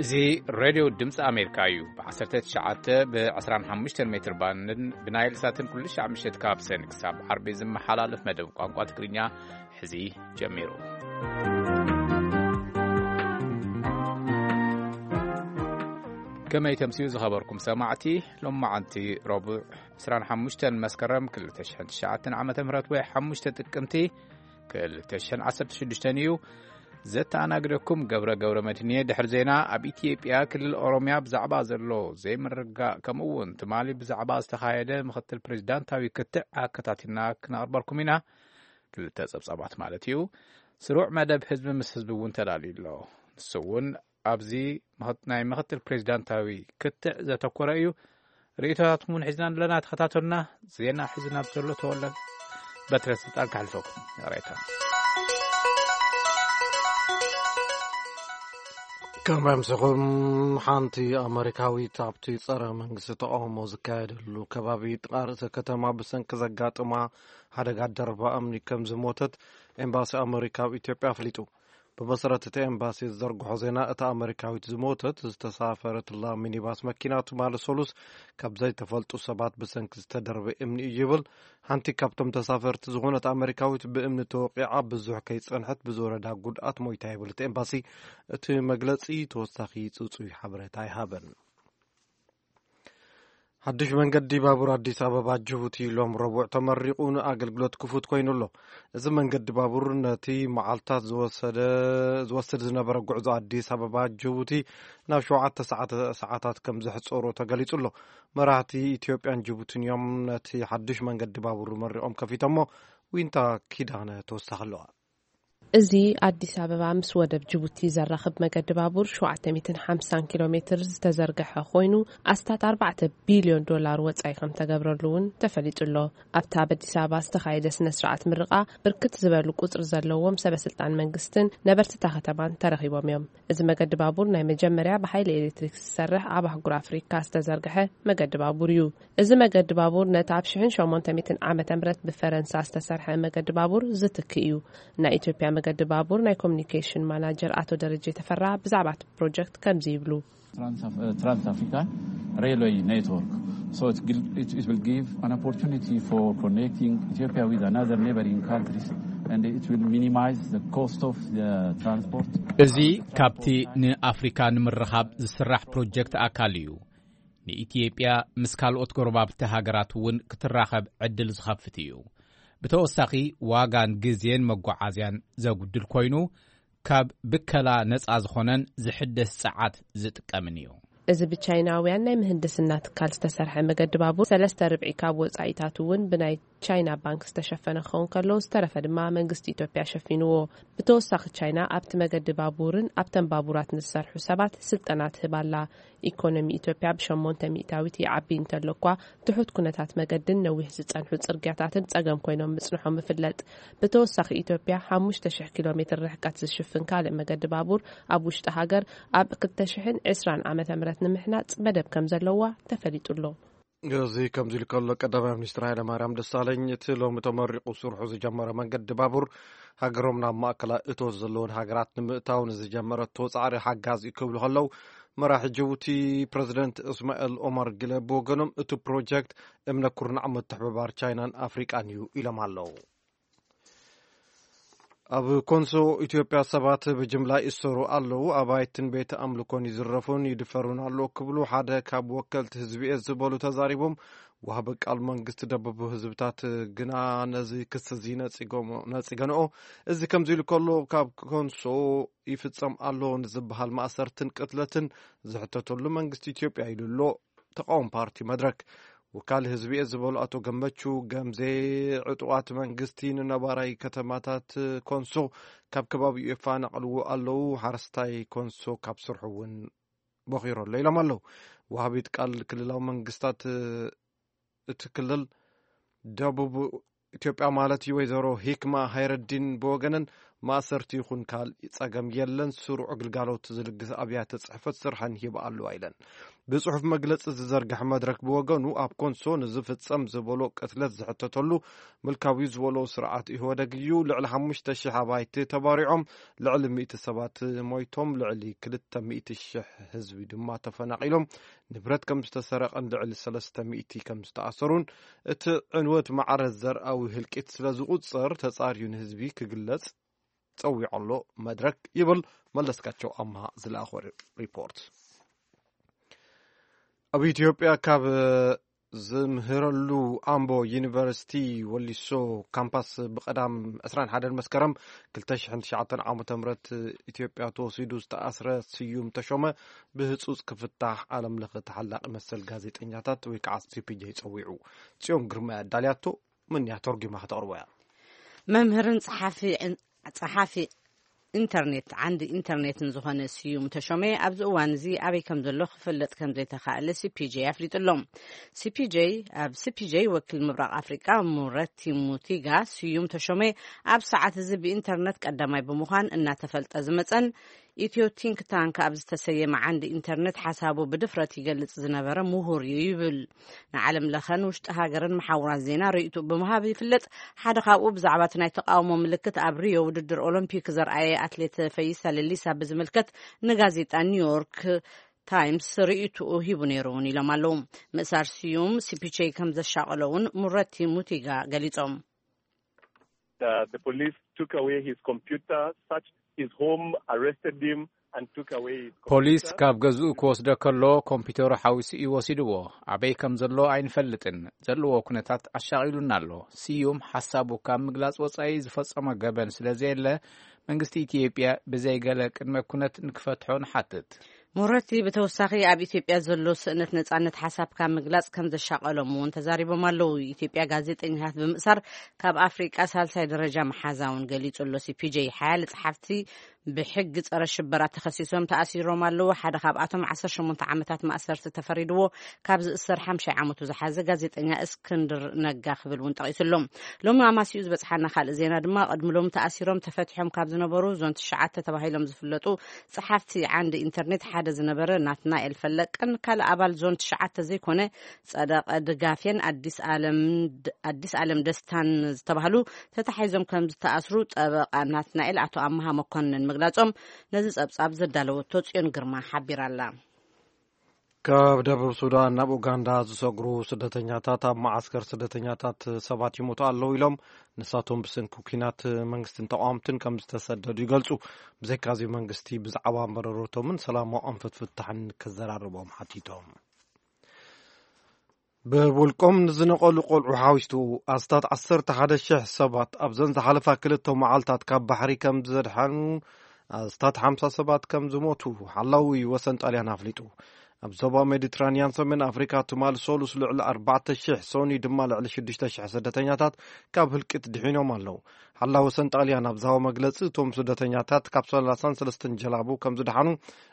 እዚ ሬድዮ ድምፂ ኣሜሪካ እዩ። ብ19 ብ25 ሜትር ባንድን ብናይል ሳትን ኩሉ ሻዕ ምሸት ካብ ሰን ክሳብ ዓርቢ ዝመሓላለፍ መደብ ቋንቋ ትግርኛ ሕዚ ጀሚሩ። ከመይ ተምስዩ ዝኸበርኩም ሰማዕቲ፣ ሎማዓንቲ ረቡዕ 25 መስከረም 2009 ዓመተ ምህረት ወይ 5 ጥቅምቲ 2016 እዩ። ዘተኣናግደኩም ገብረ ገብረ መድህን እየ። ድሕሪ ዜና፣ ኣብ ኢትዮጵያ ክልል ኦሮሚያ ብዛዕባ ዘሎ ዘይምርግጋእ፣ ከምኡ እውን ትማሊ ብዛዕባ ዝተኻየደ ምኽትል ፕሬዚዳንታዊ ክትዕ ኣከታቲልና ክነቕርበልኩም ኢና። ክልተ ጸብጻባት ማለት እዩ። ስሩዕ መደብ ህዝቢ ምስ ህዝቢ እውን ተዳልዩ ኣሎ። ንሱ እውን ኣብዚ ምኽት-፣ ናይ ምኽትል ፕሬዚዳንታዊ ክትዕ ዘተኮረ እዩ። ርእይቶታትኩም እውን ሒዝና ኣለና፣ ተኸታተሉና። ዜና ሒዝና ብዘሎ ተወለ በትረ ስልጣን ከሕልፈኩም። ይቕሬታ። ከም ኣምስኹም፣ ሓንቲ ኣመሪካዊት ኣብቲ ጸረ መንግስቲ ተቃውሞ ዝካየደሉ ከባቢ ጥቓ ርእሰ ከተማ ብሰንኪ ዘጋጥማ ሓደጋ ደርባ እምኒ ከም ዝሞተት ኤምባሲ ኣመሪካ ኣብ ኢትዮጵያ ኣፍሊጡ። ብመሰረት እቲ ኤምባሲ ዝዘርግሖ ዜና፣ እታ ኣመሪካዊት ዝሞተት ዝተሳፈረትላ ሚኒባስ መኪና ትማሊ ሰሉስ ካብ ዘይተፈልጡ ሰባት ብሰንኪ ዝተደርበ እምኒ እዩ ይብል። ሓንቲ ካብቶም ተሳፈርቲ ዝኾነት ኣመሪካዊት ብእምኒ ተወቂዓ ብዙሕ ከይጸንሐት ብዝወረዳ ጉድኣት ሞይታ ይብል እቲ ኤምባሲ። እቲ መግለጺ ተወሳኺ ጽጹይ ሓበሬታ ኣይሃበን። ሓድሽ መንገዲ ባቡር ኣዲስ ኣበባ ጅቡቲ ሎም ረቡዕ ተመሪቑ ንኣገልግሎት ክፉት ኮይኑ ኣሎ። እዚ መንገዲ ባቡር ነቲ መዓልታት ዝወሰደ-፣ ዝወስድ ዝነበረ ጉዕዞ ኣዲስ ኣበባ ጅቡቲ ናብ ሸውዓተ ሰዓተ-፣ ሰዓታት ከም ዘሕጸሮ ተገሊጹ ኣሎ። መራሕቲ ኢትዮጵያን ጅቡትን እዮም ነቲ ሓድሽ መንገዲ ባቡር መሪቖም ከፊቶሞ። ዊንታ ኪዳነ ተወሳኺ ኣለዋ። እዚ ኣዲስ ኣበባ ምስ ወደብ ጅቡቲ ዘራኽብ መገዲ ባቡር 750 ኪሎ ሜትር ዝተዘርግሐ ኮይኑ፣ ኣስታት 4 ቢልዮን ዶላር ወጻኢ ከም ተገብረሉ እውን ተፈሊጡ ኣሎ። ኣብቲ ኣብ ኣዲስ ኣበባ ዝተኻየደ ስነ ስርዓት ምርቓ፣ ብርክት ዝበሉ ቁጽሪ ዘለዎም ሰበ ስልጣን መንግስትን ነበርቲ እታ ከተማን ተረኺቦም እዮም። እዚ መገዲ ባቡር ናይ መጀመርያ ብሓይሊ ኤሌክትሪክ ዝሰርሕ ኣብ ኣህጉር ኣፍሪካ ዝተዘርግሐ መገዲ ባቡር እዩ። እዚ መገዲ ባቡር ነቲ ኣብ 1800 ዓመተ ምህረት ብፈረንሳ ዝተሰርሐ መገዲ ባቡር ዝትክእ እዩ። ናይ ኢትዮጵያ መገዲ ባቡር ናይ ኮሚኒኬሽን ማናጀር ኣቶ ደረጀ ተፈራ ብዛዕባ እቲ ፕሮጀክት ከምዚ ይብሉ። Trans-, uh, Trans-African Railway Network. So it, gil- it, it will give an opportunity for connecting Ethiopia with another neighboring countries, and it will minimize the cost of the transport. እዚ ካብቲ ንኣፍሪካ ንምርኻብ ዝስራሕ ፕሮጀክት ኣካል እዩ። ንኢትዮጵያ ምስ ካልኦት ጎረባብቲ ሃገራት እውን ክትራኸብ ዕድል ዝኸፍት እዩ። ብተወሳኺ፣ ዋጋን ግዜን መጓዓዝያን ዘጉድል ኮይኑ፣ ካብ ብከላ ነጻ ዝኾነን ዝሕደስ ጸዓት ዝጥቀምን እዩ። እዚ ብቻይናውያን ናይ ምህንድስና ትካል ዝተሰርሐ መገዲ ባቡር፣ ሰለስተ ርብዒ ካብ ወጻኢታቱ እውን ብናይ ቻይና ባንክ ዝተሸፈነ ክኸውን ከሎ፣ ዝተረፈ ድማ መንግስቲ ኢትዮጵያ ሸፊንዎ። ብተወሳኺ፣ ቻይና ኣብቲ መገዲ ባቡርን ኣብተን ባቡራት ንዝሰርሑ ሰባት ስልጠና ትህብ ኣላ። ኢኮኖሚ ኢትዮጵያ ብ8 ሚእታዊት ይዓቢ እንተሎ እኳ፣ ትሑት ኩነታት መገድን ነዊሕ ዝጸንሑ ጽርግያታትን ጸገም ኮይኖም ምጽንሖም ይፍለጥ። ብተወሳኺ፣ ኢትዮጵያ 5,000 ኪሎ ሜትር ርሕቀት ዝሽፍን ካልእ መገዲ ባቡር ኣብ ውሽጢ ሃገር ኣብ 2020 ዓመተ ምህረት ንምሕናጽ መደብ ከም ዘለዋ ተፈሊጡ ኣሎ። እዚ ከምዚ ኢሉ ከሎ፣ ቀዳማይ ሚኒስትር ሃይለማርያም ደሳለኝ፣ እቲ ሎሚ ተመሪቑ ስርሑ ዝጀመረ መንገዲ ባቡር፣ ሃገሮም ናብ ማእከላይ እቶት ዘለወን ሃገራት ንምእታው ንዝጀመረቶ ጻዕሪ ሓጋዚ እዩ ክብሉ ከለዉ፣ መራሒ ጅቡቲ ፕረዚደንት እስማኤል ኦማር ጊለ ብወገኖም፣ እቲ ፕሮጀክት እምነ ኩርናዕ ምትሕብባር ቻይናን ኣፍሪቃን እዩ ኢሎም ኣለዉ። ኣብ ኮንሶ ኢትዮጵያ ሰባት ብጅምላ ይእሰሩ ኣለዉ፣ ኣባይትን ቤት ኣምልኮን ይዝረፉን ይድፈሩን ኣለዉ ክብሉ ሓደ ካብ ወከልቲ ህዝቢ እየ ዝበሉ ተዛሪቦም። ዋህቢ ቃል መንግስቲ ደቡብ ህዝብታት ግና ነዚ ክሲ እዚ ነጺጎሞ-፣ ነጺገንኦ። እዚ ከምዚ ኢሉ ከሎ፣ ካብ ኮንሶ ይፍጸም ኣሎ ንዝበሃል ማእሰርትን ቅትለትን ዝሕተተሉ መንግስቲ ኢትዮጵያ ኢሉ ኣሎ። ተቃዋሚ ፓርቲ መድረክ። ወካሊ ህዝቢ እየ ዝበሉ ኣቶ ገመቹ ገምዜ፣ ዕጡቓት መንግስቲ ንነባራይ ከተማታት ኮንሶ ካብ ከባቢኡ የፈናቕልዎ ኣለዉ፣ ሓረስታይ ኮንሶ ካብ ስርሑ እውን ቦኺሩ ኣሎ ኢሎም ኣለዉ። ወሃቢት ቃል ክልላዊ መንግስታት እቲ ክልል ደቡብ ኢትዮጵያ ማለት እዩ፣ ወይዘሮ ሂክማ ሃይረዲን ብወገነን፣ ማእሰርቲ ይኹን ካልእ ጸገም የለን፣ ስሩዕ ግልጋሎት ዝልግስ ኣብያተ ጽሕፈት ስርሐን ይህባ ኣለዋ ኢለን። ብጽሑፍ መግለጺ ዝዘርግሐ መድረክ ብወገኑ፣ ኣብ ኮንሶ ንዝፍጸም ዝበሎ ቅትለት ዝሕተተሉ ምልካዊ ዝበሎ ስርዓት ኢህወደግ እዩ። ልዕሊ ሓሙሽተ ሽሕ ኣባይቲ ተባሪዖም፣ ልዕሊ ሚእቲ ሰባት ሞይቶም፣ ልዕሊ ክልተ ሚእቲ ሽሕ ህዝቢ ድማ ተፈናቒሎም፣ ንብረት ከም ዝተሰረቐን ልዕሊ ሰለስተ ሚእቲ ከም ዝተኣሰሩን፣ እቲ ዕንወት ማዕረ ዘርኣዊ ህልቂት ስለ ዝቑጸር፣ ተጻርዩ ንህዝቢ ክግለጽ ጸዊዑ ኣሎ መድረክ ይብል መለስካቸው ኣምሃ ዝለኣኾ ሪፖርት። ኣብ ኢትዮጵያ ካብ ዝምህረሉ ኣምቦ ዩኒቨርሲቲ ወሊሶ ካምፓስ ብቐዳም ዕስራን ሓደን መስከረም ክልተ ሽሕን ትሽዓተን ዓመተ ምህረት ኢትዮጵያ ተወሲዱ ዝተኣስረ ስዩም ተሾመ ብህጹጽ ክፍታሕ ዓለም ለኸ ተሓላቒ መሰል ጋዜጠኛታት ወይ ከዓ ሲ ፒ ጄ ጸዊዑ። ጽዮን ግርማ ኣዳልያቶ፣ ምንያ ተርጉማ ከተቕርቦ እያ። መምህርን ጸሓፊ ጸሓፊ ኢንተርኔት ዓንዲ ኢንተርኔትን ዝኾነ ስዩም ተሾመ ኣብዚ እዋን እዚ ኣበይ ከም ዘሎ ክፍለጥ ከም ዘይተኻእለ ሲ ፒ ጄ ኣፍሊጡ ኣሎ። ሲ ፒ ጄ ኣብ ሲ ፒ ጄ ወኪል ምብራቕ ኣፍሪቃ ሙረቲ ሙቲጋ፣ ስዩም ተሾመ ኣብ ሰዓት እዚ ብኢንተርኔት ቀዳማይ ብምዃን እናተፈልጠ ዝመጸን ኢትዮ ቲንክ ታንክ ኣብ ዝተሰየመ ዓንዲ ኢንተርኔት ሓሳቡ ብድፍረት ይገልጽ ዝነበረ ምሁር እዩ ይብል። ንዓለም ለኸን ውሽጢ ሃገርን መሓውራት ዜና ርእይቱ ብምሃብ ይፍለጥ። ሓደ ካብኡ ብዛዕባ እቲ ናይ ተቃውሞ ምልክት ኣብ ሪዮ ውድድር ኦሎምፒክ ዘርኣየ ኣትሌት ፈይሳ ሌሊሳ ብዝምልከት ንጋዜጣ ኒውዮርክ ታይምስ ርእይትኡ ሂቡ ነይሩ እውን ኢሎም ኣለዉ። ምእሳር ስዩም ሲ ፒ ጄ ከም ዘሻቐሎ እውን ሙረቲ ሙቲጋ ገሊጾም። The, the police took away his computer, searched his home, arrested him, and took away his ፖሊስ computer. ካብ ገዝኡ ክወስዶ ከሎ ኮምፒተሩ ሓዊሱ እዩ ወሲድዎ። ኣበይ ከም ዘሎ ኣይንፈልጥን። ዘለዎ ኩነታት ኣሻቒሉና ኣሎ። ስዩም ሓሳቡ ካብ ምግላጽ ወጻኢ ዝፈጸሞ ገበን ስለ ዘየለ መንግስቲ ኢትዮጵያ ብዘይ ገለ ቅድመ ኩነት ንክፈትሖ ንሓትት። ሞረቲ ብተወሳኺ ኣብ ኢትዮጵያ ዘሎ ስእነት ነጻነት ሓሳብካ ምግላጽ ከም ዘሻቐሎም እውን ተዛሪቦም ኣለዉ። ኢትዮጵያ ጋዜጠኛታት ብምእሳር ካብ ኣፍሪቃ ሳልሳይ ደረጃ መሓዛ እውን ገሊጹ ኣሎ። ሲ ፒ ጄ ሓያለ ጸሓፍቲ ብሕጊ ጸረ ሽበራ ተኸሲሶም ተኣሲሮም ኣለዉ። ሓደ ካብኣቶም ዓሰርተ ሸሞንተ ዓመታት ማእሰርቲ ተፈሪድዎ ካብ ዝእሰር ሓምሻይ ዓመቱ ዝሓዘ ጋዜጠኛ እስክንድር ነጋ ክብል እውን ጠቒሱ ኣሎ። ሎሚ ኣማሲኡ ዝበጽሓና ካልእ ዜና ድማ ቅድሚ ሎሚ ተኣሲሮም ተፈቲሖም ካብ ዝነበሩ ዞን ትሽዓተ ተባሂሎም ዝፍለጡ ጸሓፍቲ ዓንዲ ኢንተርኔት ሓደ ዝነበረ ናትናኤል ፈለቀን ካልእ ኣባል ዞን ትሽዓተ ዘይኮነ ጸደቀ ድጋፌን ኣዲስ ኣለም ኣዲስ ኣለም ደስታን ዝተባህሉ ተታሒዞም ከም ዝተኣስሩ ጠበቃ ናትናኤል ኣቶ ኣመሃ መኮንን ምግላጾም ነዚ ጸብጻብ ዘዳለወቶ ጽዮን ግርማ ሓቢራ ኣላ። ካብ ደቡብ ሱዳን ናብ ኡጋንዳ ዝሰግሩ ስደተኛታት ኣብ መዓስከር ስደተኛታት ሰባት ይሞቱ ኣለዉ ኢሎም ንሳቶም ብሰንኪ ኲናት መንግስትን ተቃወምትን ከም ዝተሰደዱ ይገልጹ። ብዘይካዚ መንግስቲ ብዛዕባ መረረቶምን ሰላማዊ ኣንፈት ፍታሕን ክዘራርቦም ሓቲቶም። ብውልቆም ንዝነቐሉ ቆልዑ ሓዊሱ ኣስታት ዓሰርተ ሓደ ሽሕ ሰባት ኣብዘን ዝሓለፋ ክልተ መዓልታት ካብ ባሕሪ ከም ዘድሓኑ ኣስታት ሓምሳ ሰባት ከም ዝሞቱ ሓላዊ ወሰን ጣልያን ኣፍሊጡ። ኣብ ዞባ ሜዲትራንያን ሰሜን ኣፍሪካ ትማል ሰሉስ ልዕሊ ኣርባዕተ ሽሕ ሶኒ ድማ ልዕሊ ሽዱሽተ ሽሕ ስደተኛታት ካብ ህልቂት ድሒኖም ኣለዉ። ሓላዊ ወሰን ጣልያን ኣብ ዝሃቦ መግለጺ እቶም ስደተኛታት ካብ ሰላሳን ሰለስተን ጀላቡ ከም ዝደሓኑ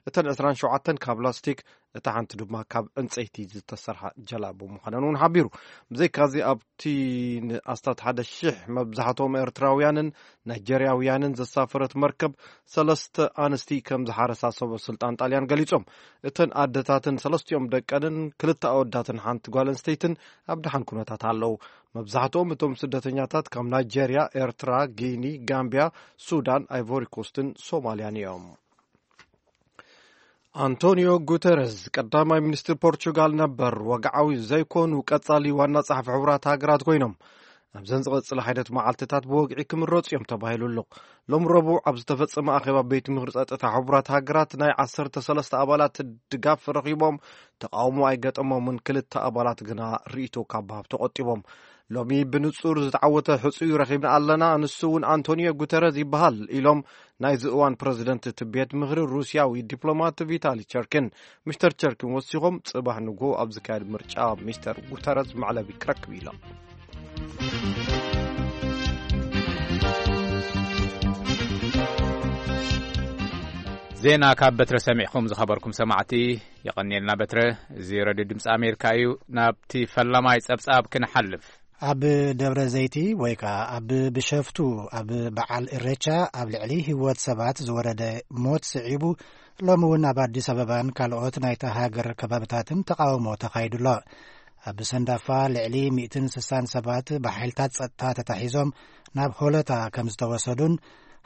እተን ዕስራን ሸውዓተን ካብ ላስቲክ እታ ሓንቲ ድማ ካብ ዕንጸይቲ ዝተሰርሓ ጀላቡ ምዃነን እውን ሓቢሩ። ብዘይካዚ ኣብቲ ንኣስታት ሓደ ሽሕ መብዛሕትኦም ኤርትራውያንን ናይጀርያውያንን ዘሳፈረት መርከብ ሰለስተ ኣንስቲ ከም ዝሓረሳ ሰበ ስልጣን ጣልያን ገሊጾም። እተን ኣደታትን ሰለስቲኦም ደቀንን ክልተ ኣወዳትን ሓንቲ ጓል ኣንስተይትን ኣብ ደሓን ኩነታት ኣለዉ። መብዛሕትኦም እቶም ስደተኛታት ካብ ናይጀርያ፣ ኤርትራ፣ ጊኒ፣ ጋምቢያ፣ ሱዳን፣ ኣይቮሪኮስትን ሶማልያን እዮም። ኣንቶኒዮ ጉተረዝ ቀዳማይ ሚኒስትር ፖርቹጋል ነበር ወግዓዊ ዘይኮኑ ቀጻሊ ዋና ጸሓፊ ሕቡራት ሃገራት ኮይኖም ኣብዘን ዝቐጽላ ሓይደት መዓልትታት ብወግዒ ክምረጹ እዮም ተባሂሉ ኣሎ። ሎም ረቡዕ ኣብ ዝተፈጸመ ኣኼባ ቤት ምኽሪ ጸጥታ ሕቡራት ሃገራት ናይ ዓሰርተ ሰለስተ ኣባላት ድጋፍ ረኺቦም ተቃውሞ ኣይገጠሞምን። ክልተ ኣባላት ግና ርእይቶ ካብ ምሃብ ተቆጢቦም። ሎሚ ብንጹር ዝተዓወተ ሕጹይ ረኺብና ኣለና፣ ንሱ እውን ኣንቶኒዮ ጉተረዝ ይበሃል ኢሎም ናይዚ እዋን ፕረዚደንት እቲ ቤት ምኽሪ ሩስያዊ ዲፕሎማት ቪታሊ ቸርኪን። ሚስተር ቸርኪን ወሲኾም ጽባሕ ንግሆ ኣብ ዝካየድ ምርጫ ሚስተር ጉተረዝ መዕለቢ ክረክብ ኢሎም። ዜና ካብ በትረ ሰሚዕኹም ዝኸበርኩም ሰማዕቲ የቐንየልና በትረ። እዚ ረድዮ ድምፂ ኣሜሪካ እዩ። ናብቲ ፈላማይ ጸብጻብ ክንሓልፍ። ኣብ ደብረ ዘይቲ ወይ ከኣ ኣብ ብሸፍቱ ኣብ በዓል እሬቻ ኣብ ልዕሊ ህይወት ሰባት ዝወረደ ሞት ስዒቡ፣ ሎሚ እውን ኣብ ኣዲስ ኣበባን ካልኦት ናይታ ሃገር ከባብታትን ተቓውሞ ተኻይዱ ኣሎ። ኣብ ሰንዳፋ ልዕሊ ሚእትን ስሳን ሰባት ብሓይልታት ጸጥታ ተታሒዞም ናብ ሆለታ ከም ዝተወሰዱን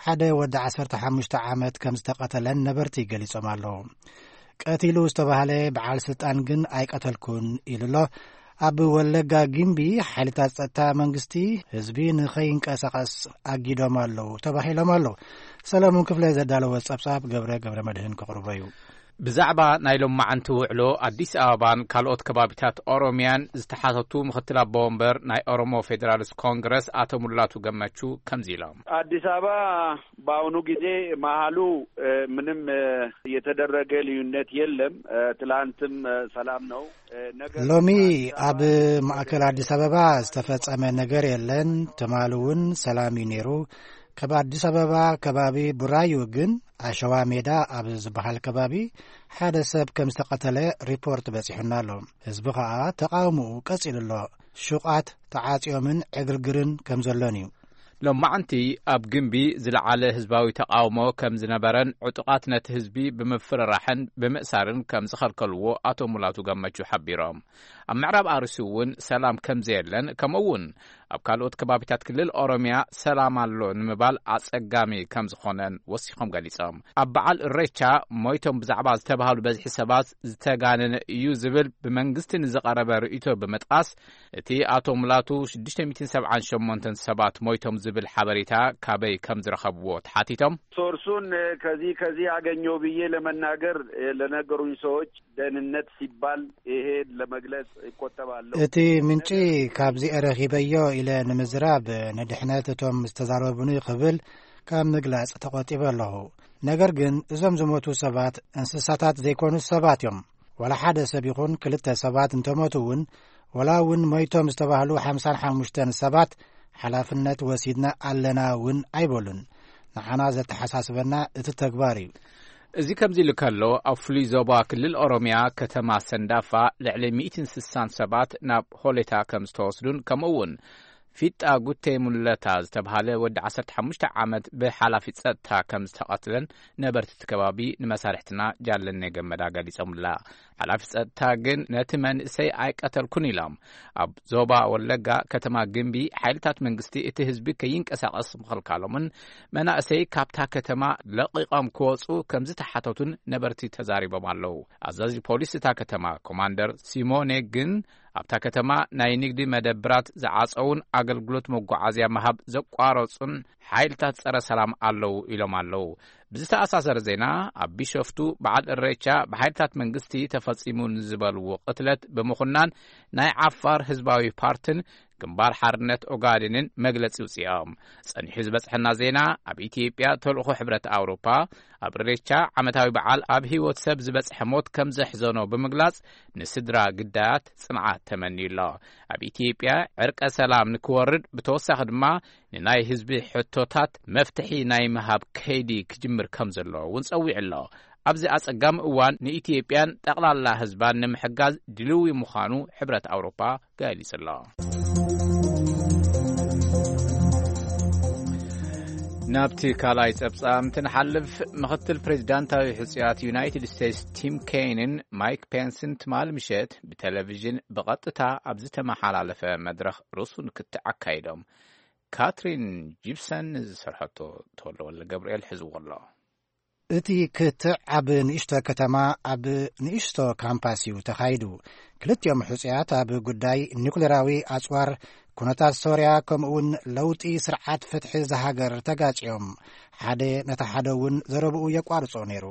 ሓደ ወዲ ዓሰርተ ሓሙሽተ ዓመት ከም ዝተቐተለን ነበርቲ ገሊጾም ኣለዉ። ቀቲሉ ዝተባህለ በዓል ስልጣን ግን ኣይቀተልኩን ኢሉ ኣሎ። ኣብ ወለጋ ግምቢ ሓይልታት ጸጥታ መንግስቲ ህዝቢ ንኸይንቀሳቐስ ኣጊዶም ኣለዉ ተባሂሎም ኣለዉ። ሰለሙን ክፍለ ዘዳለወ ጸብጻብ ገብረ ገብረ መድህን ክቕርቦ እዩ። ብዛዕባ ናይ ሎማዓንቲ ውዕሎ ኣዲስ ኣበባን ካልኦት ከባቢታት ኦሮሚያን ዝተሓተቱ ምኽትል ኣቦ ወንበር ናይ ኦሮሞ ፌዴራሊስት ኮንግረስ ኣቶ ሙላቱ ገመቹ ከምዚ ኢሎም። አዲስ አበባ በአሁኑ ጊዜ መሀሉ ምንም የተደረገ ልዩነት የለም። ትላንትም ሰላም ነው። ነገር ሎሚ ኣብ ማእከል ኣዲስ ኣበባ ዝተፈጸመ ነገር የለን። ትማሊ እውን ሰላም እዩ ነይሩ። ካብ ኣዲስ ኣበባ ከባቢ ቡራዩ ግን ኣሸዋ ሜዳ ኣብ ዝበሃል ከባቢ ሓደ ሰብ ከም ዝተቐተለ ሪፖርት በጺሑና ኣሎ። ህዝቢ ኸኣ ተቓውሞኡ ቀጺሉ ኣሎ። ሹቓት ተዓጽዮምን ዕግርግርን ከም ዘሎን እዩ። ሎማዓንቲ ኣብ ግምቢ ዝለዓለ ህዝባዊ ተቓውሞ ከም ዝነበረን ዕጡቓት ነቲ ህዝቢ ብምፍርራሕን ብምእሳርን ከም ዝኸልከልዎ ኣቶ ሙላቱ ገመቹ ሓቢሮም። ኣብ ምዕራብ ኣርሲ እውን ሰላም ከም ዘየለን፣ ከምኡ እውን ኣብ ካልኦት ከባቢታት ክልል ኦሮሚያ ሰላም ኣሎ ንምባል ኣጸጋሚ ከም ዝኾነን ወሲኾም ገሊጾም። ኣብ በዓል እሬቻ ሞይቶም ብዛዕባ ዝተባህሉ በዝሒ ሰባት ዝተጋነነ እዩ ዝብል ብመንግስቲ ንዝቐረበ ርእይቶ ብምጥቃስ፣ እቲ ኣቶ ሙላቱ ሽዱሽተ ሚእትን ሰብዓን ሸሞንተን ሰባት ሞይቶም ዝብል ሓበሬታ ካበይ ከም ዝረኸብዎ ተሓቲቶም። ሶርሱን ከዚህ ከዚህ አገኘው ብዬ ለመናገር ለነገሩኝ ሰዎች ደህንነት ሲባል ይሄ ለመግለጽ ይቆጠባለሁ። እቲ ምንጪ ካብዚ ረኺበዮ ኢለ ንምዝራብ ንድሕነት እቶም ዝተዛረቡኒ ክብል ካብ ምግላጽ ተቖጢበ ኣለኹ። ነገር ግን እዞም ዝሞቱ ሰባት እንስሳታት ዘይኮኑ ሰባት እዮም። ዋላ ሓደ ሰብ ይኹን ክልተ ሰባት እንተሞቱ እውን፣ ዋላ እውን ሞይቶም ዝተባህሉ ሓምሳን ሓሙሽተን ሰባት ሓላፍነት ወሲድና ኣለና እውን ኣይበሉን። ንዓና ዘተሓሳስበና እቲ ተግባር እዩ። እዚ ከምዚ ኢሉ ከሎ፣ ኣብ ፍሉይ ዞባ ክልል ኦሮሚያ ከተማ ሰንዳፋ ልዕሊ ሚእትን ስሳን ሰባት ናብ ሆሌታ ከም ዝተወስዱን፣ ከምኡ እውን ፊጣ ጉቴ ሙለታ ዝተብሃለ ወዲ ዓሰርተ ሓሙሽተ ዓመት ብሓላፊ ጸጥታ ከም ዝተቐትለን ነበርቲ እቲ ከባቢ ንመሳርሕትና ጃለኔ ገመዳ ገሊጾምላ። ሓላፊ ጸጥታ ግን ነቲ መንእሰይ ኣይቀተልኩን ኢሎም። ኣብ ዞባ ወለጋ ከተማ ግምቢ ሓይልታት መንግስቲ እቲ ህዝቢ ከይንቀሳቐስ ምኽልካሎምን መናእሰይ ካብታ ከተማ ለቒቖም ክወጹ ከም ዝተሓተቱን ነበርቲ ተዛሪቦም ኣለዉ። ኣዛዚ ፖሊስ እታ ከተማ ኮማንደር ሲሞኔ ግን ኣብታ ከተማ ናይ ንግዲ መደብራት ዝዓጸዉን ኣገልግሎት መጓዓዝያ ምሃብ ዘቋረጹን ሓይልታት ጸረ ሰላም ኣለዉ ኢሎም ኣለዉ። ብዝተኣሳሰረ ዜና፣ ኣብ ቢሾፍቱ በዓል እሬቻ ብሓይልታት መንግስቲ ተፈጺሙ ንዝበልዎ ቅትለት ብምኹናን ናይ ዓፋር ህዝባዊ ፓርትን ግንባር ሓርነት ኦጋዴንን መግለጺ ውጽኦም። ጸኒሑ ዝበጽሐና ዜና፣ ኣብ ኢትዮጵያ ተልእኾ ሕብረት ኣውሮፓ ኣብ እሬቻ ዓመታዊ በዓል ኣብ ህይወት ሰብ ዝበጽሐ ሞት ከም ዘሕዘኖ ብምግላጽ፣ ንስድራ ግዳያት ጽንዓት ተመንዩ ኣሎ። ኣብ ኢትዮጵያ ዕርቀ ሰላም ንክወርድ፣ ብተወሳኺ ድማ ንናይ ህዝቢ ሕቶታት መፍትሒ ናይ ምሃብ ከይዲ ክጅምር ከም ዘሎ እውን ጸዊዑ ኣሎ። ኣብዚ ኣጸጋሚ እዋን ንኢትዮጵያን ጠቕላላ ህዝባን ንምሕጋዝ ድልዊ ምዃኑ ሕብረት ኣውሮፓ ገሊጹ ኣሎ። ናብቲ ካልኣይ ጸብጻብ እንትንሓልፍ፣ ምኽትል ፕሬዚዳንታዊ ሕጹያት ዩናይትድ ስቴትስ ቲም ኬይንን ማይክ ፔንስን ትማሊ ምሸት ብቴሌቪዥን ብቐጥታ ኣብ ዝተመሓላለፈ መድረኽ ርእሱ ንክትዕ ኣካይዶም። ካትሪን ጂፕሰን ዝሰርሐቶ ተወልደ ወልደ ገብርኤል ሒዝዎ ኣሎ። እቲ ክትዕ ኣብ ንእሽቶ ከተማ ኣብ ንእሽቶ ካምፓስ እዩ ተኻይዱ። ክልቲኦም ሕጹያት ኣብ ጉዳይ ኒኩሌራዊ ኣጽዋር፣ ኩነታት ሶርያ፣ ከምኡውን ለውጢ ስርዓት ፍትሒ እዛ ሃገር ተጋጭዮም ሓደ ነታ ሓደ እውን ዘረብኡ የቋርጾ ነይሩ።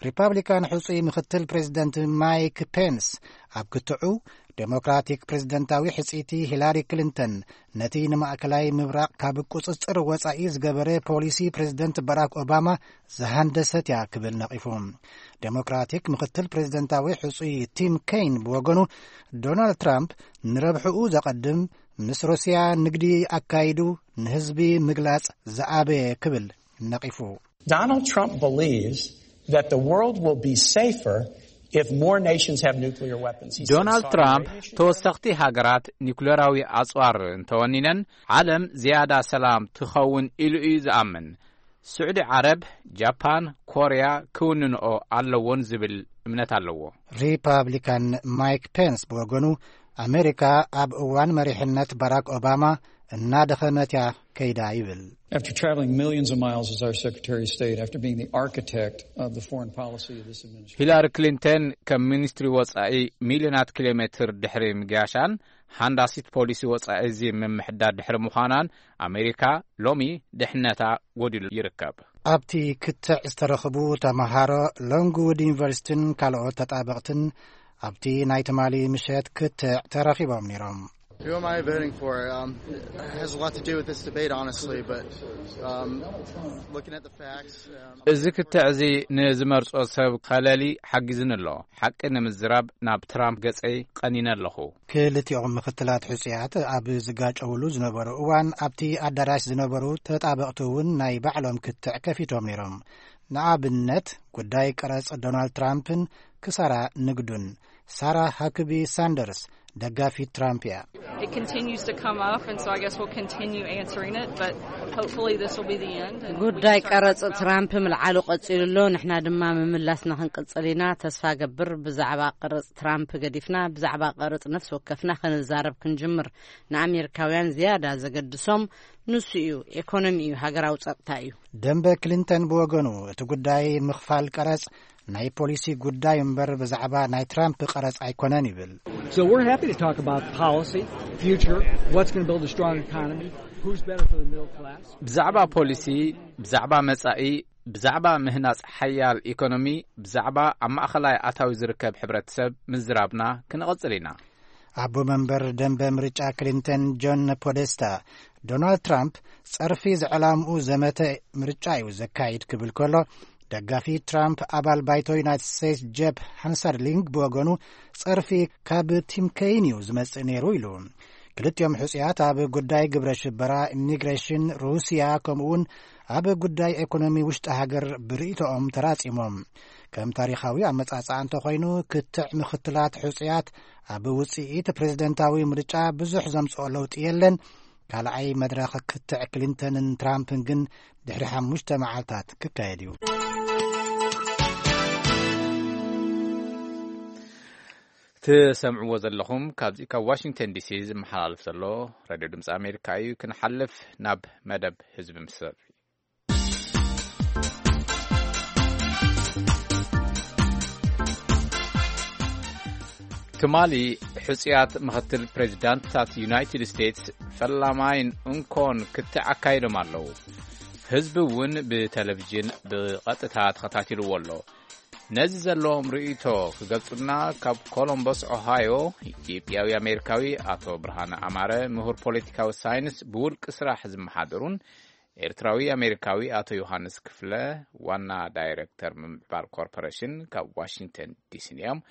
ሪፓብሊካን ሕጹይ ምኽትል ፕሬዚደንት ማይክ ፔንስ ኣብ ክትዑ፣ ዴሞክራቲክ ፕሬዚደንታዊ ሕጽይቲ ሂላሪ ክሊንተን ነቲ ንማእከላይ ምብራቕ ካብ ቁጽጽር ወጻኢ ዝገበረ ፖሊሲ ፕሬዚደንት ባራክ ኦባማ ዝሃንደሰት እያ ክብል ነቒፉ። ዴሞክራቲክ ምኽትል ፕሬዚደንታዊ ሕጹይ ቲም ኬይን ብወገኑ፣ ዶናልድ ትራምፕ ንረብሕኡ ዘቐድም፣ ምስ ሩስያ ንግዲ ኣካይዱ ንህዝቢ ምግላጽ ዝኣበየ ክብል ነቒፉ። Donald Trump believes that the world will be safer If more nations have nuclear weapons, he said, ዶናልድ Saudi ትራምፕ Arabia should ተወሰኽቲ ሃገራት ኒኩሌራዊ ኣጽዋር እንተወኒነን ዓለም ዝያዳ ሰላም ትኸውን ኢሉ እዩ ዝኣምን። ስዑዲ ዓረብ፣ ጃፓን፣ ኮርያ ክውንንኦ ኣለዎን ዝብል እምነት ኣለዎ። ሪፓብሊካን ማይክ ፔንስ ብወገኑ፣ ኣሜሪካ ኣብ እዋን መሪሕነት ባራክ ኦባማ እናደኸመት እያ ከይዳ ይብል። After traveling millions of miles as our Secretary of State, after being the architect of the foreign policy of this administration. ሂላሪ ክሊንተን ከም ሚኒስትሪ ወጻኢ ሚልዮናት ኪሎ ሜትር ድሕሪ ምግያሻን ሃንዳሲት ፖሊሲ ወጻኢ እዚ ምምሕዳር ድሕሪ ምዃናን ኣሜሪካ ሎሚ ድሕነታ ጎዲሉ ይርከብ። ኣብቲ ክትዕ ዝተረኽቡ ተመሃሮ ሎንግውድ ዩኒቨርሲቲን ካልኦት ተጣበቕትን ኣብቲ ናይ ትማሊ ምሸት ክትዕ ተረኺቦም ነይሮም። Who am I voting for? Um, it has a lot to do with this debate, honestly, but um, looking at the facts, um, እዚ ክትዕ እዚ ንዝመርጾ ሰብ ከለሊ ሓጊዝኒ ኣሎ። ሓቂ ንምዝራብ ናብ ትራምፕ ገጸይ ቀኒነ ኣለኹ። ክልቲኦም ምክትላት ሕጹያት ኣብ ዝጋጨውሉ ዝነበሩ እዋን ኣብቲ ኣዳራሽ ዝነበሩ ተጣበቕቲ እውን ናይ ባዕሎም ክትዕ ከፊቶም ነይሮም። ንኣብነት ጉዳይ ቀረጽ ዶናልድ ትራምፕን ክሳራ ንግዱን። ሳራ ሃክቢ ሳንደርስ ደጋፊት ትራምፕ እያ። It continues to come up, and so I guess we'll continue answering it, but hopefully this will be the end, and we can ጉዳይ start ቀረጽ talking about ትራምፕ ምልዓሉ ቀጺሉ ኣሎ። ንሕና ድማ ምምላስና ክንቅጽል ኢና። ተስፋ ገብር ብዛዕባ ቀረጽ ትራምፕ ገዲፍና ብዛዕባ ቀረጽ ነፍሲ ወከፍና ክንዛረብ ክንጅምር። ንኣሜሪካውያን ዝያዳ ዘገድሶም ንሱ እዩ። ኤኮኖሚ እዩ፣ ሃገራዊ ጸጥታ እዩ። ደንበ ክሊንተን ብወገኑ እቲ ጉዳይ ምኽፋል ቀረጽ ናይ ፖሊሲ ጉዳይ እምበር ብዛዕባ ናይ ትራምፕ ቀረጽ ኣይኮነን ይብል። So we're happy to talk about policy, future, what's going to build a strong economy, who's better for the middle class. ብዛዕባ ፖሊሲ፣ ብዛዕባ መጻኢ፣ ብዛዕባ ምህናጽ ሓያል ኢኮኖሚ፣ ብዛዕባ ኣብ ማእኸላይ ኣታዊ ዝርከብ ሕብረተሰብ ምዝራብና ክንቐጽል ኢና። ኣቦ መንበር ደንበ ምርጫ ክሊንተን ጆን ፖደስታ፣ ዶናልድ ትራምፕ ጸርፊ ዝዕላምኡ ዘመተ ምርጫ እዩ ዘካይድ ክብል ከሎ፣ ደጋፊ ትራምፕ ኣባል ባይቶ ዩናይትድ ስቴትስ ጀብ ሃንሳርሊንግ ብወገኑ ጸርፊ ካብ ቲም ከይን እዩ ዝመጽእ ነይሩ ኢሉ። ክልቲኦም ሕጹያት ኣብ ጉዳይ ግብረ ሽበራ፣ ኢሚግሬሽን፣ ሩስያ ከምኡውን ኣብ ጉዳይ ኤኮኖሚ ውሽጢ ሃገር ብርእይቶኦም ተራጺሞም። ከም ታሪኻዊ ኣመጻጽኣ እንተኾይኑ ክትዕ ምኽትላት ሕጹያት ኣብ ውጽኢት ፕሬዝደንታዊ ምርጫ ብዙሕ ዘምጽኦ ለውጢ የለን። ካልኣይ መድረኽ ክትዕ ክሊንተንን ትራምፕን ግን ድሕሪ ሓሙሽተ መዓልታት ክካየድ እዩ። ትሰምዕዎ ዘለኹም ካብዚ ካብ ዋሽንግተን ዲሲ ዝመሓላለፍ ዘሎ ሬድዮ ድምፂ ኣሜሪካ እዩ። ክንሓልፍ ናብ መደብ ህዝቢ ምስ ትማሊ ሕጹያት ምኽትል ፕሬዚዳንትታት ዩናይትድ ስቴትስ ፈላማይን እንኮን ክትዕ ኣካይዶም ኣለዉ። ህዝቢ እውን ብቴሌቪዥን ብቐጥታ ተኸታቲልዎ ኣሎ። ነዚ ዘለዎም ርእይቶ ክገልጹልና ካብ ኮሎምበስ ኦሃዮ ኢትዮጵያዊ ኣሜሪካዊ ኣቶ ብርሃነ ኣማረ፣ ምሁር ፖለቲካዊ ሳይንስ ብውልቂ ስራሕ ዝመሓደሩን ኤርትራዊ ኣሜሪካዊ ኣቶ ዮሃንስ ክፍለ፣ ዋና ዳይሬክተር ምምዕባል ኮርፖሬሽን ካብ ዋሽንግተን ዲሲን እዮም።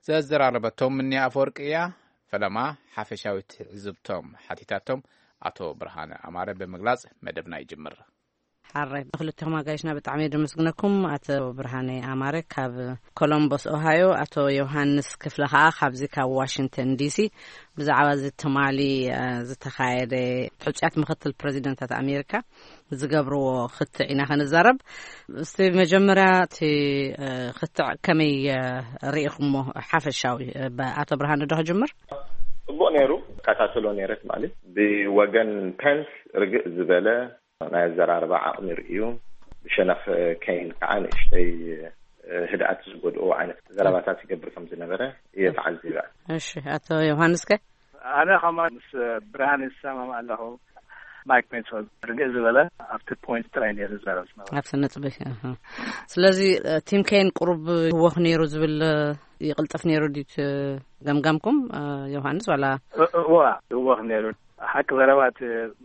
ዘዘራረበቶም ምንያ ኣፈወርቂ እያ። ፈለማ ሓፈሻዊ ትዕዝብቶም ሓቲታቶም ኣቶ ብርሃነ ኣማረ ብምግላጽ መደብና ይጅምር። ሓራይ፣ ንክልተኹም ኣጋይሽና ብጣዕሚ እየ ደመስግነኩም። ኣቶ ብርሃነ ኣማረ ካብ ኮሎምቦስ ኦሃዮ፣ ኣቶ ዮሃንስ ክፍለ ኸዓ ካብዚ ካብ ዋሽንግተን ዲሲ። ብዛዕባ እዚ ትማሊ፣ እ፣ ዝተኻየደ ሕጹያት ምኽትል ፕሬዚደንታት ኣሜሪካ ዝገብርዎ ክትዕ ኢና ክንዛረብ። እስቲ መጀመርያ እቲ፣ እ፣ ክትዕ ከመይ፣ እ፣ ርኢኹሞ ሓፈሻዊ? እ፣ ብ-፣ ኣቶ ብርሃነ ዶ ክጅምር? ጽቡቕ ነይሩ። እከታተሎ ነይረ ትማሊ። ብወገን ፐንስ ርግእ ዝበለ ናይ ኣዘራርባ ዓቕሚ ርእዩ፣ ብሸነኽ ከይን ከዓ ንእሽተይ ህድኣት ዝጎድኦ ዓይነት ዘረባታት ይገብር ከም ዝነበረ እየ ተዓዚበ። እሺ፣ ኣቶ ዮሃንስ ከ? ኣነ ከማን ምስ ብርሃን ይሰማማዕ ኣለኹ። ማይክ ፔንስ ርግእ ዝበለ ኣብቲ ፖይንት ጥራይ ነይሩ ዝዛረብ ዝነበረ። ኣብቲ ነጥቢ፣ ኣሃ። ስለዚ፣ እ፣ ቲም ከይን ቁሩብ ህወኽ ነይሩ ዝብል፣ እ፣ ይቕልጥፍ ነይሩ ድዩ እቲ ገምጋምኩም፣ እ፣ ዮሃንስ፣ ዋላ? እ-፣ እዋ፣ ህወኽ ነይሩ። ሓቂ ዘረባ እቲ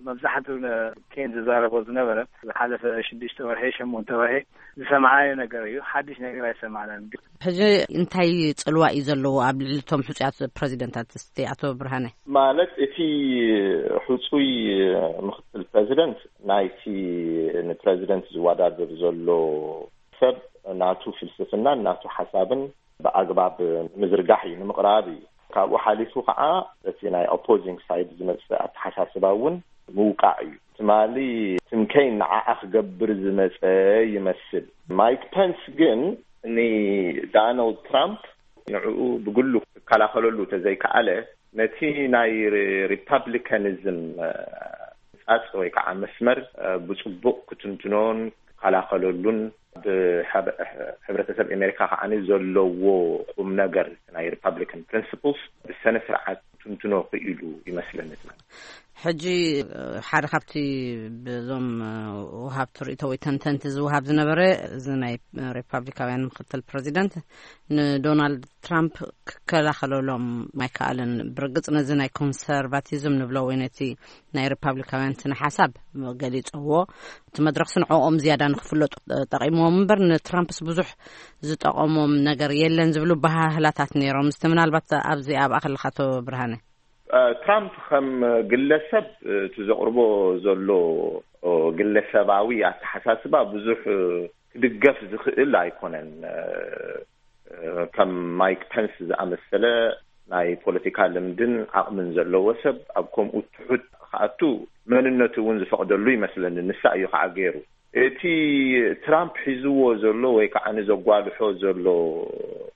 መብዛሕትኡ ነ-፣ ኬን ዝዛረቦ ዝነበረ ዝሓለፈ ሽዱሽተ ወርሒ፣ ሸሞንተ ወርሒ ዝሰማዕናዮ ነገር እዩ። ሓድሽ ነገር ኣይሰማዕናን። ሕጂ እንታይ ጽልዋ እዩ ዘለዎ ኣብ ልዕሊ እቶም ሕጹያት ፕረዚደንታት፣ እስቲ ኣቶ ብርሃነ? ማለት እቲ ሕጹይ ምኽትል ፕረዚደንት ናይቲ ንፕረዚደንት ዝወዳደር ዘሎ ሰብ ናቱ ፍልስፍናን ናቱ ሓሳብን ብኣግባብ ንምዝርጋሕ እዩ፣ ንምቕራብ እዩ። ካብኡ ሓሊፉ ከዓ እቲ ናይ ኦፖዚንግ ሳይድ ዝመፅእ ኣተሓሳስባ እውን ምውቃዕ እዩ። ትማሊ ትምከይን ንዓኣ ክገብር ዝመፀ ይመስል። ማይክ ፐንስ ግን ንዳናልድ ትራምፕ ንዕኡ ብግሉ ክከላኸለሉ ተዘይከኣለ፣ ነቲ ናይ ሪፓብሊካኒዝም ፃፅ ወይ ከዓ መስመር ብፅቡቕ ክትንትኖን ክከላኸለሉን፣ ብሕብረተሰብ ኣሜሪካ ከዓ ዘለዎ ቁም ነገር ናይ ሪፓብሊካን ፕሪንስፕልስ ብሰነ ስርዓት ክትንትኖ ክኢሉ ይመስለኒ። ሕጂ ሓደ ካብቲ ብዞም ወሃብ ትርኢቶ ወይ ተንተንቲ ዝወሃብ ዝነበረ፣ እዚ ናይ ሪፓብሊካውያን ምክትል ፕሬዚደንት ንዶናልድ ትራምፕ ክከላኸለሎም ኣይከኣለን። ብርግጽ ነዚ ናይ ኮንሰርቫቲዝም ንብሎ ወይ ነቲ ናይ ሪፓብሊካውያን ስነ ሓሳብ ገሊጸዎ። እቲ መድረኽሲ ንዕኦም ዝያዳ ንክፍለጡ ጠቂምዎም እምበር ንትራምፕስ ብዙሕ ዝጠቐሞም ነገር የለን ዝብሉ ባህላታት ነይሮም። እስቲ ምናልባት ኣብዚ ኣብኣ ከለኻ፣ ኣቶ ብርሃነ። ትራምፕ ከም ግለሰብ እቲ ዘቕርቦ ዘሎ ግለሰባዊ ኣተሓሳስባ ብዙሕ ክድገፍ ዝኽእል ኣይኮነን። ከም ማይክ ፐንስ ዝኣመሰለ ናይ ፖለቲካ ልምድን ዓቕምን ዘለዎ ሰብ ኣብ ከምኡ ትሑት ክኣቱ መንነቱ እውን ዝፈቕደሉ ይመስለኒ። ንሳ እዩ ከዓ ገይሩ። እቲ ትራምፕ ሒዝዎ ዘሎ ወይ ከዓ ንዘጓልሖ ዘሎ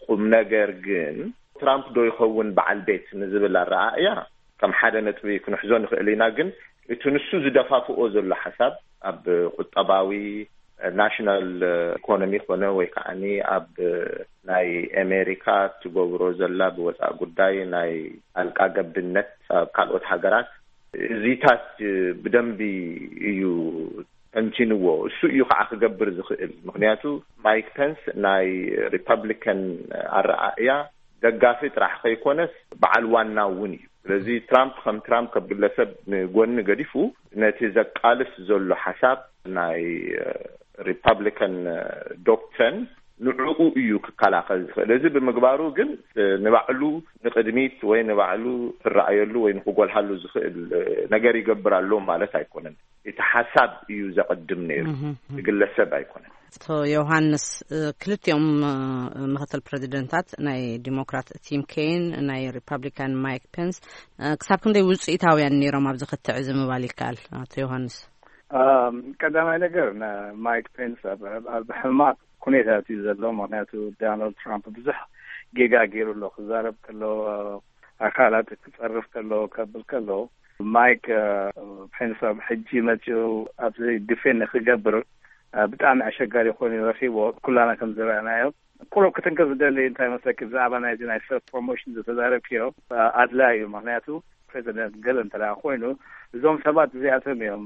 ቁም ነገር ግን፣ ትራምፕ ዶ ይኸውን በዓል ቤት ንዝብል ኣረኣእያ ከም ሓደ ነጥቢ ክንሕዞ ንኽእል ኢና። ግን እቲ ንሱ ዝደፋፍኦ ዘሎ ሓሳብ ኣብ ቁጠባዊ፣ ናሽናል ኢኮኖሚ ኮነ ወይ ከዓ ኣብ ናይ ኣሜሪካ ትገብሮ ዘላ ብወፃኢ ጉዳይ ናይ ጣልቃ ገብነት ኣብ ካልኦት ሃገራት፣ እዚታት ብደንቢ እዩ ተንቲንዎ። እሱ እዩ ከዓ ክገብር ዝኽእል። ምክንያቱ ማይክ ፐንስ ናይ ሪፐብሊካን ኣረኣእያ ደጋፊ ጥራሕ ከይኮነስ በዓል ዋና እውን እዩ። ስለዚ ትራምፕ ከም ትራምፕ ከም ግለሰብ ንጎኒ ገዲፉ፣ ነቲ ዘቃልስ ዘሎ ሓሳብ ናይ ሪፐብሊካን ዶክትሪን ንዕኡ እዩ ክከላኸል ዝኽእል። እዚ ብምግባሩ ግን ንባዕሉ ንቕድሚት ወይ ንባዕሉ ክረኣየሉ ወይ ንክጎልሃሉ ዝኽእል ነገር ይገብር ኣሎ ማለት ኣይኮነን። እቲ ሓሳብ እዩ ዘቐድም ነይሩ፣ እቲ ግለሰብ ኣይኮነን። ኣቶ ዮሃንስ፣ ክልቲኦም ምክትል ፕሬዚደንታት፣ ናይ ዲሞክራት ቲም ኬን፣ ናይ ሪፐብሊካን ማይክ ፔንስ፣ ክሳብ ክንደይ ውፅኢታውያን ነይሮም ኣብዚ ክትዕ እዚ ምባል ይከኣል? ኣቶ ዮሃንስ። ቀዳማይ ነገር፣ ማይክ ፔንስ ኣብ ሕማቕ ኩነታት እዩ ዘሎ። ምክንያቱ ዳናልድ ትራምፕ ብዙሕ ጌጋ ገይሩ ኣሎ። ክዛረብ ከሎ፣ ኣካላት ክፀርፍ ከሎ፣ ከብል ከሎ፣ ማይክ ፔንስ ኣብ ሕጂ መፅኡ ኣብዚ ዲፌንድ ክገብር ብጣዕሚ ኣሸጋሪ ኮይኑ ረኪቦ። ኩላና ከም ዝረኣናዮ፣ ቁሩብ ክትንክፍ ዝደሊ እንታይ መስለኪ፣ ብዛዕባ ናይዚ ናይ ሰልፍ ፕሮሞሽን ዝተዛረብክዮ ኣድላይ እዩ። ምክንያቱ ፕሬዚደንት ገለ እንተ ኮይኑ፣ እዞም ሰባት እዚኣቶም እዮም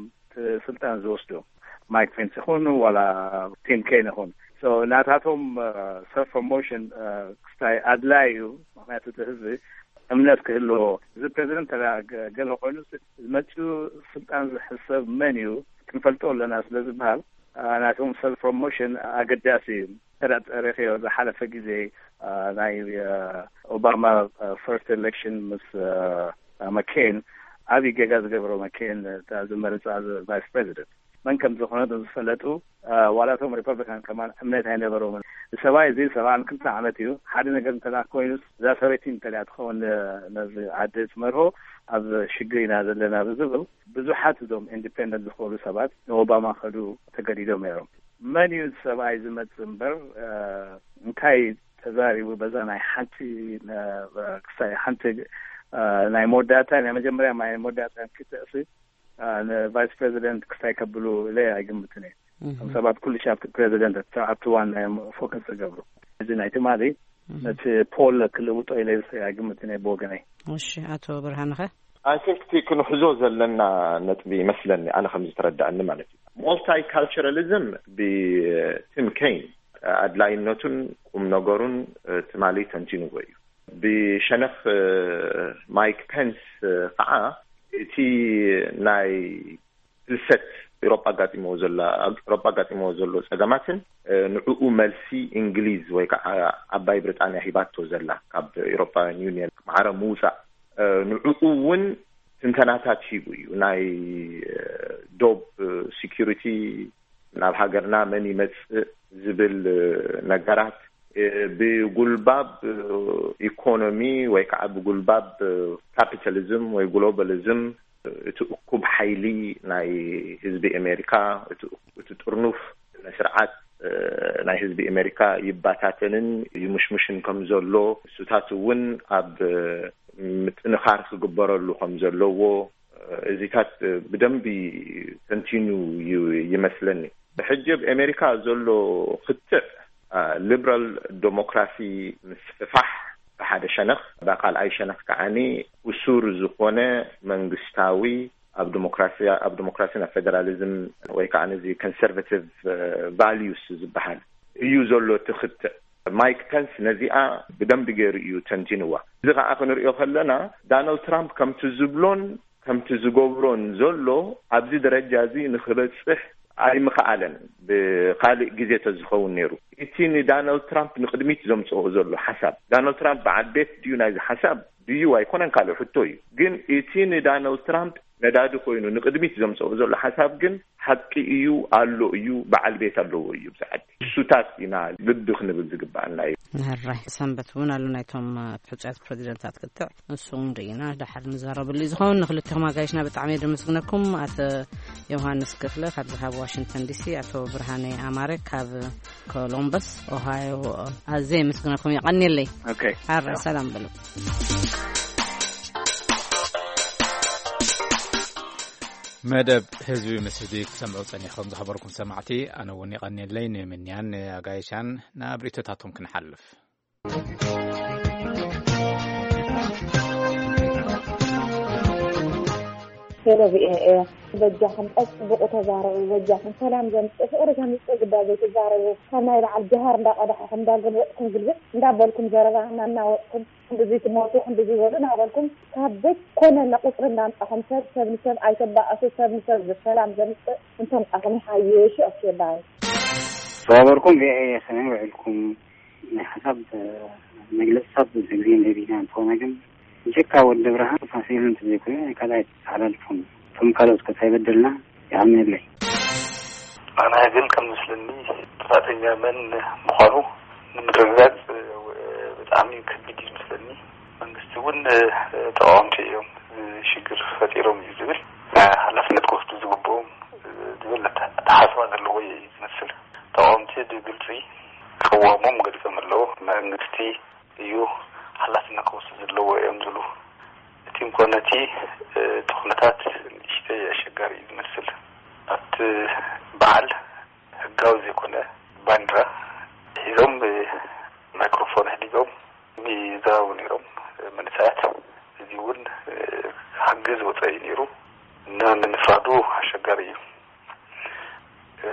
ስልጣን ዝወስዱ። ማይክ ፔንስ ይኹን ዋላ ቲም ኬን ይኹን፣ ናታቶም ሰልፍ ፕሮሞሽን ክስታይ ኣድላይ እዩ። ምክንያቱ እቲ ህዝቢ እምነት ክህልዎ፣ እዚ ፕሬዚደንት ገለ ኮይኑ፣ ዝመፅኡ ስልጣን ዝሕሰብ መን እዩ ክንፈልጦ ኣለና ስለ ዝበሃል፣ ናቶም ሰልፍ ፕሮሞሽን ኣገዳሲ እዩ። ተረኺዮ ዝሓለፈ ግዜ ናይ ኦባማ ፈርስት ኤሌክሽን ምስ መኬን፣ ዓብዪ ጌጋ ዝገበሮ መኬን፣ ዝመረፃ ቫይስ ፕሬዚደንት መን ከም ዝኾነ ዝፈለጡ፣ ዋላቶም ሪፐብሊካን ከማን እምነት ኣይነበሮምን። ሰብኣይ እዚ ሰብኣን ክልተ ዓመት እዩ። ሓደ ነገር እንተ ኮይኑ፣ እዛ ሰበይቲ እንተ ትኸውን፣ ነዚ ዓዲ ትመርሆ፣ ኣብ ሽግር ኢና ዘለና ብዝብል፣ ብዙሓት እዞም ኢንዲፔንደንት ዝኾኑ ሰባት ንኦባማ ከዱ ተገዲዶም ነይሮም። መን እዩ ሰብኣይ ዝመጽእ እምበር፣ እንታይ ተዛሪቡ በዛ ናይ ሓንቲ፣ ክሳይ ሓንቲ፣ ናይ መወዳእታ፣ ናይ መጀመርያ ናይ መወዳእታ ክትእሲ፣ ንቫይስ ፕሬዚደንት ክስታይ ከብሉ ኢለ ኣይግምትን እየ። እቶም ሰባት ኩሉ ሻብ ፕሬዚደንት ኣብቲ ዋና እዮም ፎከስ ዝገብሩ። እዚ ናይ ትማሊ ነቲ ፖል ክልውጦ ኢለ ኣይግምትን እየ ብወገነይ። እሺ፣ ኣቶ ብርሃንኸ? ኣይ ቲንክ እቲ ክንሕዞ ዘለና ነጥቢ ይመስለኒ፣ ኣነ ከም ዝተረዳእኒ ማለት እዩ። ሞልታይ ካልቸራሊዝም ብቲም ኬን ኣድላይነቱን ቁም ነገሩን ትማሊ ተንቲንዎ እዩ። ብሸነኽ ማይክ ፔንስ ከዓ እቲ ናይ ፍልሰት ኤሮጳ ኣጋጢሞ ዘላ ኤሮጳ ኣጋጢሞ ዘሎ ጸገማትን ንዕኡ መልሲ እንግሊዝ ወይ ከዓ ዓባይ ብሪጣንያ ሂባቶ ዘላ ካብ ኤሮፓውያን ዩኒየን ማዕረ ምውፃእ፣ ንዕኡ እውን ትንተናታት ሂቡ እዩ። ናይ ዶብ ሲኪሪቲ ናብ ሃገርና መን ይመፅእ ዝብል ነገራት ብጉልባብ ኢኮኖሚ ወይ ከዓ ብጉልባብ ካፒታሊዝም ወይ ግሎባሊዝም እቲ እኩብ ሓይሊ ናይ ህዝቢ ኣሜሪካ፣ እቲ፣ እቲ ጥርኑፍ ስርዓት ናይ ህዝቢ ኣሜሪካ ይባታተንን ይምሽምሽን ከም ዘሎ፣ እሱታት እውን ኣብ ምጥንኻር ክግበረሉ ከም ዘለዎ፣ እዚታት ብደንቢ ተንቲኑ ዩ ይመስለኒ። ብሕጂ ኣብ ኣሜሪካ ዘሎ ክትዕ፣ ሊብራል ዴሞክራሲ ምስፍፋሕ ብሓደ ሸነኽ፣ ብካልኣይ ሸነኽ ከዓኒ እሱር ዝኾነ መንግስታዊ ኣብ ዲሞክራሲ፣ ኣብ ዲሞክራሲ ናብ ፌደራሊዝም ወይ ከዓ ነዚ ኮንሰርቫቲቭ ቫልዩስ ዝበሃል እዩ ዘሎ እቲ ክትዕ። ማይክ ፐንስ ነዚኣ ብደንቢ ገይሩ እዩ ተንቲንዋ። እዚ ከዓ ክንሪኦ ከለና፣ ዳናልድ ትራምፕ ከምቲ ዝብሎን ከምቲ ዝገብሮን ዘሎ ኣብዚ ደረጃ እዚ ንክበፅሕ ኣይምኸኣለን። ብካልእ ግዜ ተዝኸውን ነይሩ፣ እቲ ንዳናልድ ትራምፕ ንቅድሚት ዘምፅኦ ዘሎ ሓሳብ፣ ዳናልድ ትራምፕ በዓል ቤት ድዩ ናይዚ ሓሳብ ድዩ ኣይኮነን ካልእ ሕቶ እዩ። ግን እቲ ንዳናልድ ትራምፕ ነዳዲ ኮይኑ ንቅድሚት ዘምፅኦ ዘሎ ሓሳብ ግን ሓቂ እዩ፣ ኣሎ እዩ፣ በዓል ቤት ኣለዎ እዩ። ብዛዕባ እሱታት ኢና ልቢ ክንብል ዝግባኣና እዩ። ንሕራይ ሰንበት እውን ኣሎ ናይቶም ሕፁያት ፕሬዚደንታት ክትዕ፣ ንሱ እውን ርኢና ድሓር ንዛረበሉ እዩ ዝኸውን። ንክልቴኹም ኣጋይሽና ብጣዕሚ እየ ደመስግነኩም። ኣቶ ዮሃንስ ክፍለ ካብዚ ካብ ዋሽንግተን ዲሲ፣ ኣቶ ብርሃነ ኣማረ ካብ ኮሎምበስ ኦሃዮ፣ ኣዝየ የመስግነኩም። የቐንየለይ። ኦኬ። ሓራ ሰላም በሉ። መደብ ህዝቢ ምስ ህዝቢ ክትሰምዑ ጸኒሕኩም ዝኸበርኩም ሰማዕቲ፣ ኣነ እውን የቐንየለይ ንምንያን ንኣጋይሻን ናብ ርእይቶታቶም ክንሓልፍ። ሄሎ ቪኦኤ፣ በጃኹም ጸጽብቑ ተዛረቡ፣ በጃኹም ሰላም ዘምጽእ ፍቕሪ ዘምጽእ ጉዳይ ዘይትዛረቡ። ካብ ናይ በዓል ጀሃር እንዳቐዳሕኹም እንዳገልበጥኩም ግልብጥ እንዳበልኩም ዘረባ እናናወጥኩም ክንድዚ ትሞቱ ክንድዚ በሉ እናበልኩም ካብ ዘይኮነ ቁጽሪ እንዳምጻኹም ሰብ ሰብ ንሰብ ኣይተባእሱ፣ ሰብ ንሰብ ሰላም ዘምጽእ እንተምጻኹም ይሓይሽ። ኦኬ ባይ። ዝኸበርኩም ቪኦኤ ከመይ ውዒልኩም? ናይ ሓሳብ መግለጺታት ብዙሕ ግዜ ንህብ ኢና፣ እንተኾነ ግን ብጀካ ወዲ ብርሃን ፋሲል እንተዘይኮይኑ ናይ ካልኣይ ተሓላልፎም እቶም ካልኦት ከ እንታይ በደልና? ይሃምነለይ። ኣነ ግን ከም ዝመስለኒ ጥፋተኛ መን ምዃኑ ንምርግጋጽ ብጣዕሚ ከቢድ እዩ ዝመስለኒ። መንግስቲ እውን ተቃወምቲ እዮም፣ ሽግር ፈጢሮም እዩ ዝብል፣ ሓላፍነት ክወስዱ ዝግብኦም ዝብል ኣተሓሳስባ ዘለዎ እዩ ዝመስል። ተቃወምቲ ብግልፂ ቅዋሞም ገሊፆም ኣለዉ። መንግስቲ እዩ ሓላፍነት ክወስድ ዘለዎ እዮም ዝብሉ። እቲ እንኮ ነቲ፣ እ፣ እቲ ኩነታት ንእሽተይ ኣሸጋሪ እዩ ዝመስል። ኣብቲ በዓል ህጋዊ ዘይኮነ ባንዲራ ሒዞም፣ እ፣ ማይክሮፎን ኣሕዲጎም ይዛረቡ ነይሮም፣ እ፣ መንእሰያት። እዚ እውን፣ እ፣ ሕጊ ዝወፀ እዩ ነይሩ። ን-፣ ንምፍራዱ ኣሸጋሪ እዩ። እ፣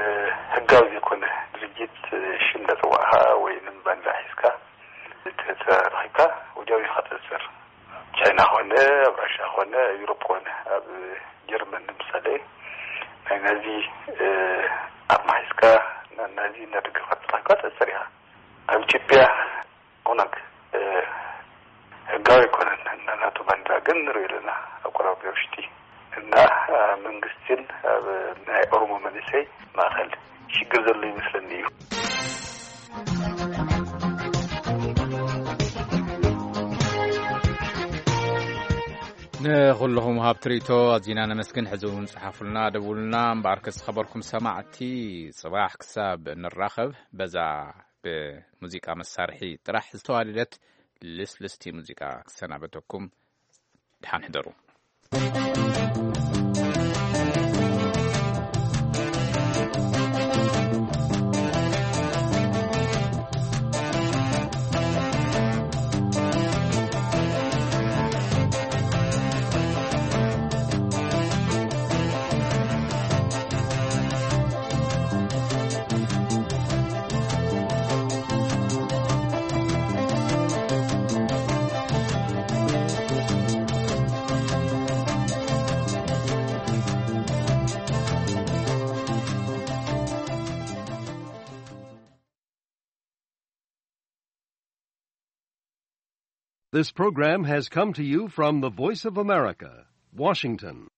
ህጋዊ ዘይኮነ ድርጅት፣ እ፣ ሽም እንዳጸዋዕካ ወይ ንም ባንዲራ ሒዝካ ተረኺብካ ወዲያው ኢኻ ትእሰር። ቻይና ኾነ፣ ኣብ ራሻ ኾነ፣ ኣብ ዩሮፕ ኾነ፣ ኣብ ጀርመን ንምሳሌ ናይ ናዚ፣ እ፣ ኣርማ ሒዝካ ና-፣ ናዚ እናደገፍካ ተረኺብካ ትእሰር ኢኻ። ኣብ ኢትዮጵያ ኦነግ፣ እ፣ ህጋዊ ኣይኮነን። እና ናቱ ባንዲራ ግን ንሪኦ ኣለና ኣብ ቆራቢ ውሽጢ። እና፣ እ፣ መንግስትን ኣብ ናይ ኦሮሞ መንእሰይ ማእኸል ሽግር ዘሎ ይመስለኒ እዩ። ንኹልኹም ሃብ ትርኢቶ ኣዚና ነመስግን። ሕዚ እውን ጽሓፉልና፣ ደውሉልና። እምበኣር ክስ ኸበርኩም ሰማዕቲ፣ ጽባሕ ክሳብ ንራኸብ በዛ ብሙዚቃ መሳርሒ ጥራሕ ዝተዋደደት ልስልስቲ ሙዚቃ ክሰናበተኩም። ደሓን ሕደሩ። This program has come to you from the Voice of America, Washington.